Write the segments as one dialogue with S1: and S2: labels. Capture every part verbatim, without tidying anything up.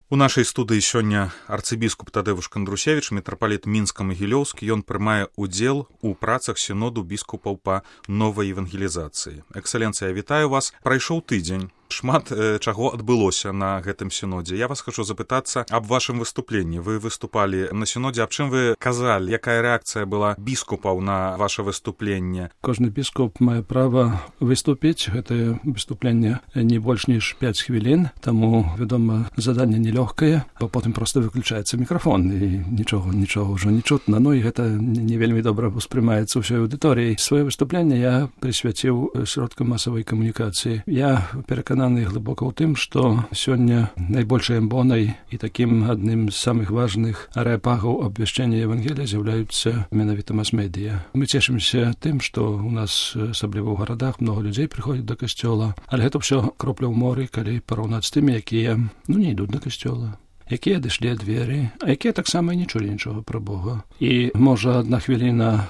S1: У нашай студыі сёння арцыбіскуп Тадэвуш Кандрусевіч, мітрапаліт Мінска-Магілёўскі. Ён прымае удзел у працах сіноду біскупаў па новай евангелізацыі. Эксцэленцыя, вітаю вас. Прайшоў тыдзень. Шмат э, чаго адбылося на гэтым сінодзе. Я вас хочу запытацца аб вашым выступленні. Вы выступалі на сінодзе, аб чым вы казалі? Якая рэакцыя была біскупаў на ваше выступленне?
S2: Кожны біскуп мае права выступіць. Гэтае выступленне не больш ніж пяць хвілін, таму, вядома, заданне нелёгкае, бо потым проста выключаецца мікрафон і нічога, нічога ўжо не чутна. Ну і гэта не вельмі добра успрымаецца ўсёй аўдыторыяй. Сваё выступленне я прысвяціў сродкам масавай камунікацыі. Я перакананы глыбока ў тым, што сёння найбольшай амбонай і такім адным з самых важных арэапагаў абвяшчэння Евангелія з'яўляюцца менавіта мас-медыя. Мы цешымся тым, што ў нас, асабліва ў гарадах, многа людзей прыходзяць да касцёла, але гэта ўсё кропля ў моры, калі параўнаць з тымі, якія ну не ідуць да касцёла, якія адышлі ад веры, а якія таксама не чулі нічога пра Бога. І можа адна хвіліна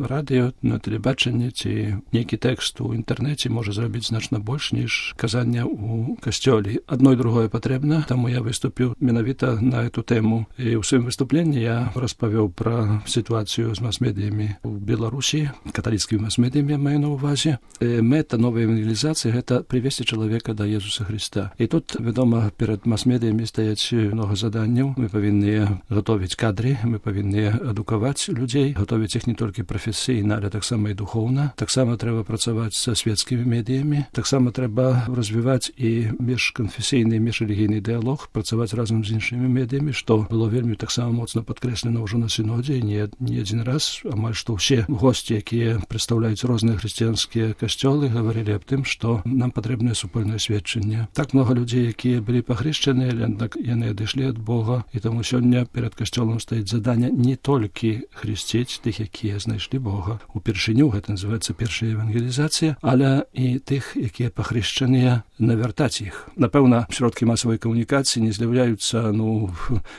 S2: радыё, на тэлебачанні ці нейкі тэкст у інтэрнэце можа зрабіць значна больш, ніж казання ў касцёле. Адно і другое патрэбна, таму я выступіў менавіта на эту тэму. І ў сваім выступленні я распавёў пра сітуацыю з мас-медыямі ў Беларусі, каталіцкімі мас-медыямі маю на ўвазе. Мэта новай евангелізацыі — гэта прывесці чалавека да Езуса Хрыста. І тут, вядома, перад мас-медыямі стаяць много заданняў. Мы павінны гатовіць кадры, мы павінны адукаваць людзей, гатовіць іх не толькі прафесійна, але таксама і духоўна. Таксама трэба працаваць са светскімі медыямі, таксама трэба развіваць і міжканфесійны, міжрэлігійны дыялог, працаваць разам з іншымі медыямі, што было вельмі таксама моцна падкрэслена ўжо на сінодзе, і не, не адзін раз, амаль што ўсе госці, якія прадстаўляюць розныя хрысціянскія касцёлы, гаварылі аб тым, што нам патрэбнае супольнае сведчанне. Так много людзей, якія былі пахрышчаныя, аднак яны адышлі ад Бога, і таму сёння перад касцёлам стаіць заданне не толькі хрысціць тых, якія знайшлі Бога упершыню, гэта называецца першая евангелізацыя, але і тых, якія пахрышчаныя, навяртаць іх. Напэўна, сродкі масавай камунікацыі не з'яўляюцца ну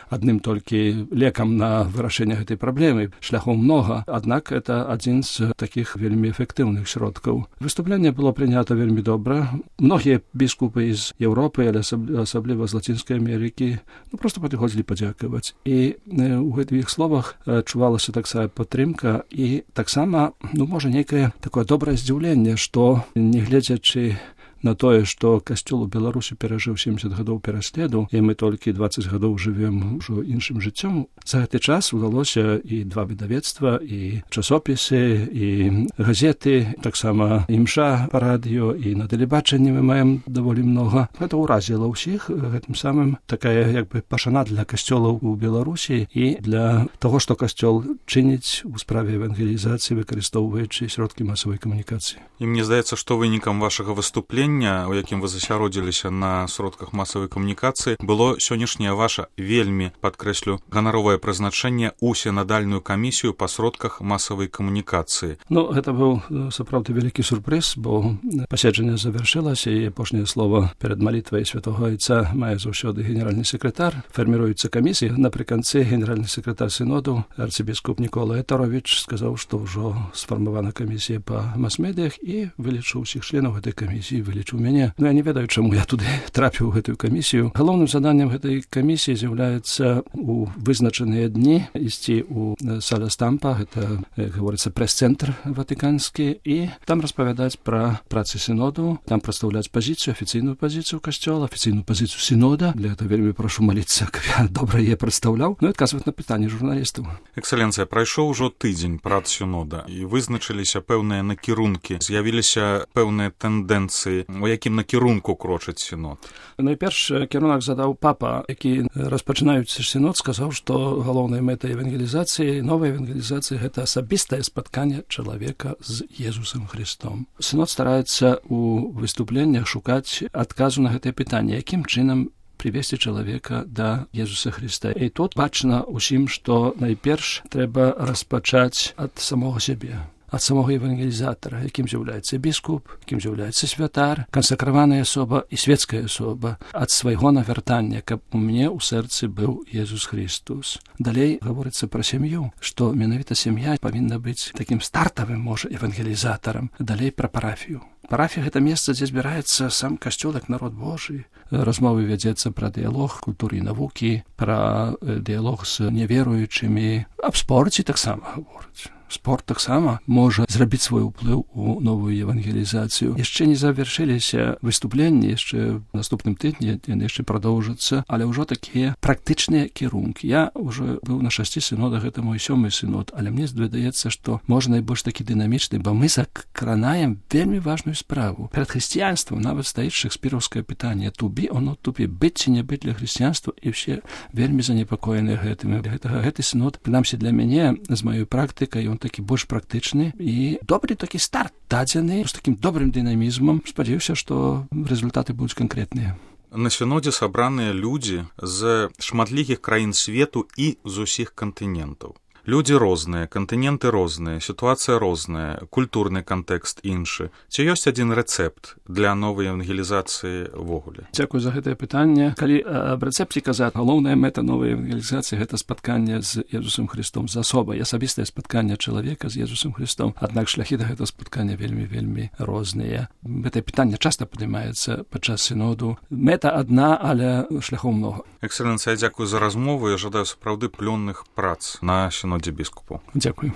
S2: адным толькі лекам на вырашэнне гэтай праблемы, шляхоў многа, аднак это адзін з такіх вельмі эфектыўных сродкаў. Выступленне было прынята вельмі добра. Многія біскупы з Еўропы, але асабліва з Лацінскай Амерыкі, ну, просто падыходзілі падзякаваць. І э, у гэтых словах э, чувалася таксама падтрымка і таксама, ну, можа, нейкае такое добрае здзіўленне, што, не гледзячы на тое, што касцёл у Беларусі перажыў сямдзесят гадоў пераследу, і мы толькі дваццаць гадоў жывем ужо іншым жыццём, за гэты час удалося і два выдавецтва, і часопісы, і газеты, таксама імша па радыё, і на тэлебачанні мы маем даволі многа. Гэта ўразіла ўсіх, гэтым самым такая як бы пашана для касцёлаў у Беларусі і для таго, што касцёл чыніць у справе евангелізацыі, выкарыстоўваючы сродкі масавай камунікацыі.
S1: І мне здаецца, што вынікам вашага выступлення, у якім вы засяродзіліся на сродках масавай камунікацыі, было сённяшняе ваша вельмі, падкрэслю, ганаровае прызначэнне ў сінадальную камісію па сродках масавай камунікацыі.
S2: Ну, гэта быў сапраўды вялікі сюрпрыз, бо пасяджэнне завяршылася, і апошняе слова перад малітвай святого Айца мае заўсёды генеральны сакратар. Фарміруецца камісія. Напрыканцы генеральны сакратар сіноду, арцыбіскуп Нікола Ятаровіч, сказаў, што ўжо сфармавана камісія па мас-медыях, і вылічыў усіх членаў гэтай камісіі, вылічыў мяне. Ну, я не ведаю, чаму я туды трапіў у гэтую камісію. Галоўным заданнем гэтай камісіі з'яўляецца у вызначаныя дні ісці ў сале Стампа, гэта, гаворыцца, прэс-цэнтр ватыканскі, і там распавядаць пра працы сіноду, там прадстаўляць пазіцыю, афіцыйную пазіцыю касцёла, афіцыйную пазіцыю сінода. Для этого вельмі прашу маліцца, каб я добра яе прадстаўляў, ну і адказваць на пытанні журналістаў.
S1: Эксцэленцыя, прайшоў ужо тыдзень прац сінода, і вызначыліся пэўныя накірункі, з'явіліся пэўныя тэндэнцыі, у якім накірунку крочыць сінод.
S2: Найперш кірунак задаў папа, які, распачынаючы сінод, сказаў, што галоўная мэта евангелізацыі, новай евангелізацыі — гэта асабістае спатканне чалавека з Езусам Христом. Сінод стараецца у выступленнях шукаць адказу на гэтае пытанне, якім чынам прывесці чалавека да Езуса Христа. І тут бачна ўсім, што найперш трэба распачаць ад самога сябе, ад самого евангелізатара, якім з'яўляецца біскуп, якім з'яўляецца святар, кансакраваная асоба і светская асоба, ад свайго навяртання, каб у мяне ў сэрцы быў Езус Христус. Далей гаворыцца пра сям'ю, што менавіта сям'я павінна быць такім стартавым, можа, евангелізатарам. Далей пра парафію. Парафія — гэта месца, дзе збіраецца сам касцёл як народ Божий, размовы вядзецца пра дыялог культуры і навукі, пра дыялог з неверуючымі, аб спорце таксама гавораць. Спорт таксама можа зрабіць свой уплыў у новую евангелізацыю. Яшчэ не завяршыліся выступленні, яшчэ в наступным тыдні яны яшчэ прадоўжацца, але ўжо такія практычныя кірункі. Я ўжо быў на шасці сінодах, гэта мой сёмы сінод, але мне здаецца, што можа найбольш такі дынамічны, бо мы закранаем вельмі важную справу. Перад хрысціянствам нават стаіць шекспіраўскае пытанне to be or not to be, быць ці не быць для хрысціянства, і ўсе вельмі занепакоеныя гэтым. Гэтага гэты сінод, прынамсі для мяне, з маёй практыкай, ён такі больш практычны і добры такі старт дадзены з такім добрым дынамізмам. Спадзяюся, што результаты будуць канкрэтныя.
S1: На сінодзе сабраныя людзі з шматлікіх краін свету і з усіх кантынентаў. Людзі розныя, кантыненты розныя, сітуацыя розная, культурны кантэкст іншы. Ці ёсць адзін рэцэпт для новай евангелізацыі ўвогуле?
S2: Дзякуй за гэтае пытанне. Калі аб рэцэпце казаць, галоўная мэта новай евангелізацыі гэта спатканне з Езусам Христом, з асобай, асабістае спатканне чалавека з Езусам Христом. Аднак шляхі да гэтага спаткання вельмі-вельмі розныя. Гэтае пытанне часта падымаецца падчас сіноду. Мэта адна, але шляхоў многа.
S1: Экселенцыя, дзякуй за размову. Я жадаю сапраўды плённых прац на сінодзе біскупаў.
S2: Дзякуй.